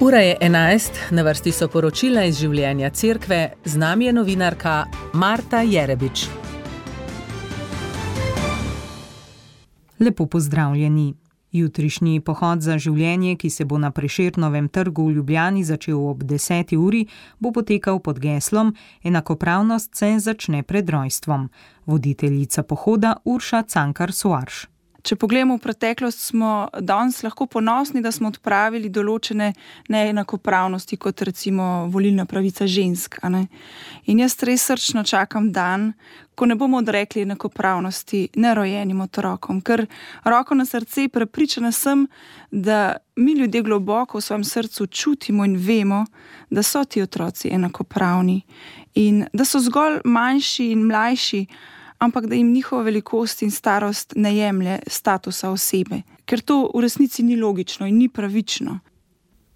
Ura je 11, na vrsti so poročila iz življenja cerkve, z nami je novinarka Marta Jerebič. Lepo pozdravljeni. Jutrišnji pohod za življenje, ki se bo na Prešernovem trgu v Ljubljani začel ob 10. uri, bo potekal pod geslom Enakopravnost se začne pred rojstvom. Voditeljica pohoda Urša Cankar-Soarš. Če pogledamo v preteklost, smo danes lahko ponosni, da smo odpravili določene neenakopravnosti, kot recimo volilna pravica žensk. In jaz res srčno čakam dan, ko ne bomo odrekli enakopravnosti nerojenim otrokom, ker roko na srce prepričana sem, da mi ljudje globoko v svojem srcu čutimo in vemo, da so ti otroci enakopravni in da so zgolj manjši in mlajši, ampak da jim njihova velikost in starost ne jemlje statusa osebe, ker to v resnici ni logično in ni pravično.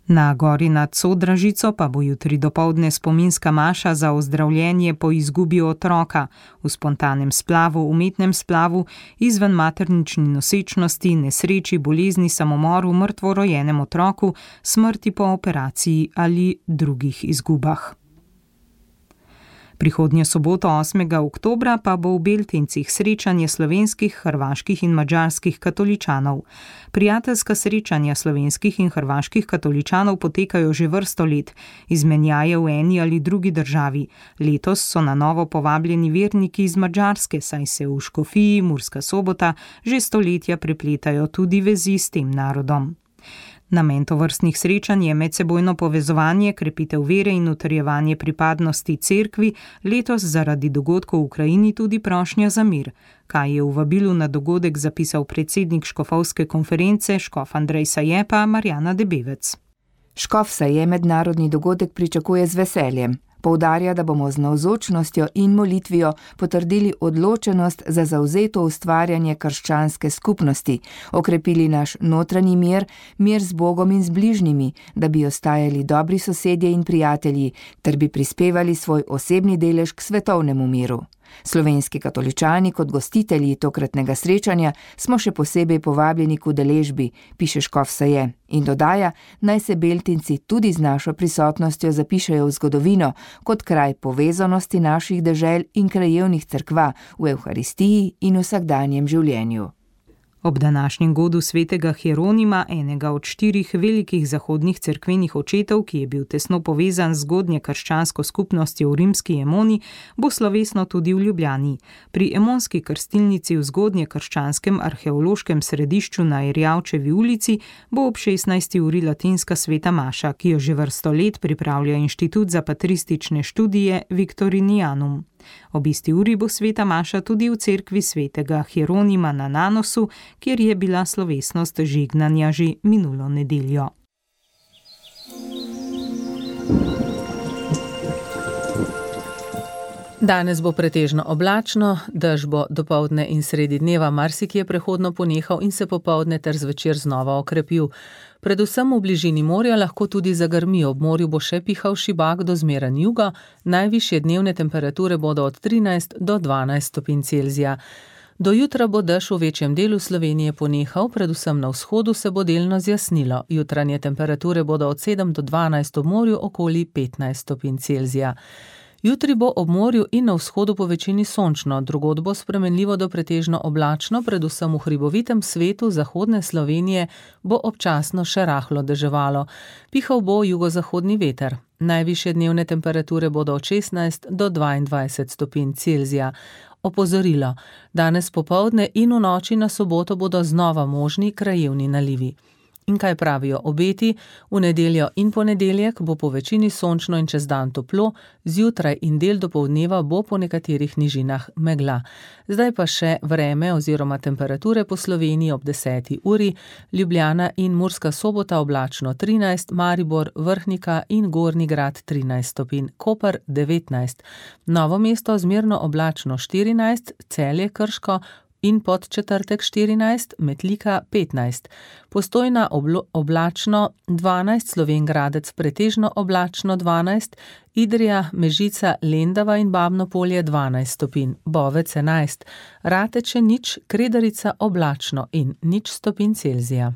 Na gori nad Sodražico pa bo jutri dopoldne spominska maša za ozdravljenje po izgubi otroka v spontanem splavu, umetnem splavu, izven maternični nosečnosti, nesreči, bolezni, samomoru, mrtvorojenem otroku, smrti po operaciji ali drugih izgubah. Prihodnjo soboto 8. oktobra pa bo v Beltincih srečanje slovenskih, hrvaških in madžarskih katoličanov. Prijateljska srečanja slovenskih in hrvaških katoličanov potekajo že vrsto let, izmenjaje v eni ali drugi državi. Letos so na novo povabljeni verniki iz Madžarske, saj se v Škofiji, Murska Sobota, že stoletja prepletajo tudi vezi s tem narodom. Namen tovrstnih srečanj je medsebojno povezovanje, krepitev vere in utrjevanje pripadnosti cerkvi, letos zaradi dogodkov v Ukrajini tudi prošnja za mir. Kaj je v vabilu na dogodek zapisal predsednik škofovske konference, škof Andrej Saje pa Marjana Debevec. Škof Saje mednarodni dogodek pričakuje z veseljem. Poudarja, da bomo z navzočnostjo in molitvijo potrdili odločenost za zavzeto ustvarjanje krščanske skupnosti, okrepili naš notranji mir, mir z Bogom in z bližnjimi, da bi ostajali dobri sosedje in prijatelji, ter bi prispevali svoj osebni delež k svetovnemu miru. Slovenski katoličani kot gostitelji tokratnega srečanja smo še posebej povabljeni k udeležbi, piše škof Saje, in dodaja, naj se Beltinci tudi z našo prisotnostjo zapišejo v zgodovino kot kraj povezanosti naših dežel in krajevnih cerkva v Evharistiji in vsakdanjem življenju. Ob današnjem godu svetega Hieronima, enega od 4 velikih zahodnih cerkvenih očetov, ki je bil tesno povezan z zgodnje krščansko skupnostjo v rimski Emoni, bo slovesno tudi v Ljubljani. Pri emonski krstilnici v zgodnje krščanskem arheološkem središču na Erjavčevi ulici bo ob 16. uri latinska sveta maša, ki jo že vrsto let pripravlja Inštitut za patristične študije Victorinianum. Ob isti uri bo sveta maša tudi v cerkvi svetega Hieronima na Nanosu, kjer je bila slovesnost žegnanja že minulo nedeljo. Danes bo pretežno oblačno, dež bo dopoldne in sredi dneva marsikje prehodno ponehal in se popoldne ter zvečer znova okrepil. Predvsem v bližini morja lahko tudi zagrmi, ob morju bo še pihal šibak do zmeren juga, najvišje dnevne temperature bodo od 13 do 12 stopinj Celzija. Do jutra bo dež v večjem delu Slovenije ponehal, predvsem na vzhodu se bo delno zjasnilo. Jutranje temperature bodo od 7 do 12 v morju okoli 15 stopinj Celzija. Jutri bo ob morju in na vzhodu po večini sončno, drugod bo spremenljivo do pretežno oblačno, predvsem v hribovitem svetu zahodne Slovenije bo občasno še rahlo deževalo. Pihal bo jugozahodni veter. Najvišje dnevne temperature bodo od 16 do 22 stopinj Celzija. Opozorilo, danes popoldne in v noči na soboto bodo znova možni krajevni nalivi. In kaj pravijo obeti? V nedeljo in ponedeljek bo po večini sončno in čez dan toplo, zjutraj in del dopoldneva bo po nekaterih nižinah megla. Zdaj pa še vreme oziroma temperature po Sloveniji ob 10. uri, Ljubljana in Murska Sobota oblačno 13, Maribor, Vrhnika in Gornji Grad 13 stopinj, Koper 19, Novo mesto zmerno oblačno 14, Celje, Krško in Podčetrtek 14, Metlika 15, Postojna oblačno 12, Slovenj Gradec pretežno oblačno 12, Idrija, Mežica, Lendava in Babno Polje 12 stopinj, Bovec 11, Rateče nič, Kredarica oblačno in 0 stopinj Celzija.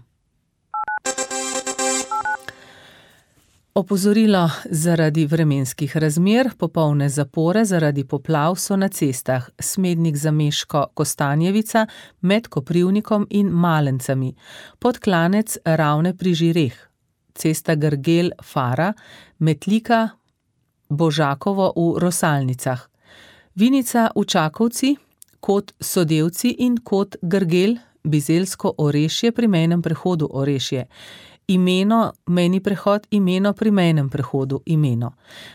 Opozorilo zaradi vremenskih razmer, popolne zapore zaradi poplav so na cestah Smednik Zameško Kostanjevica med Koprivnikom in Malencami, Podklanec Ravne pri Žireh, cesta Grgel Fara, Metlika Božakovo v Rosalnicah, Vinica v Čakovci, Kot Sodevci in Kot Grgel, Bizeljsko Orešje pri mejnem prehodu Orešje, Imeno, mejni prehod Imeno pri mejnem prehodu Imeno.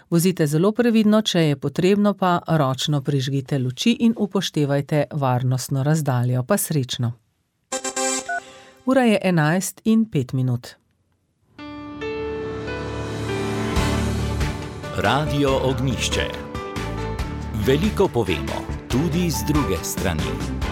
Vozite zelo previdno, če je potrebno, pa ročno prižgite luči in upoštevajte varnostno razdaljo. Pa srečno. Ura je 11:05. Radio Ognjišče. Veliko povemo, tudi z druge strani.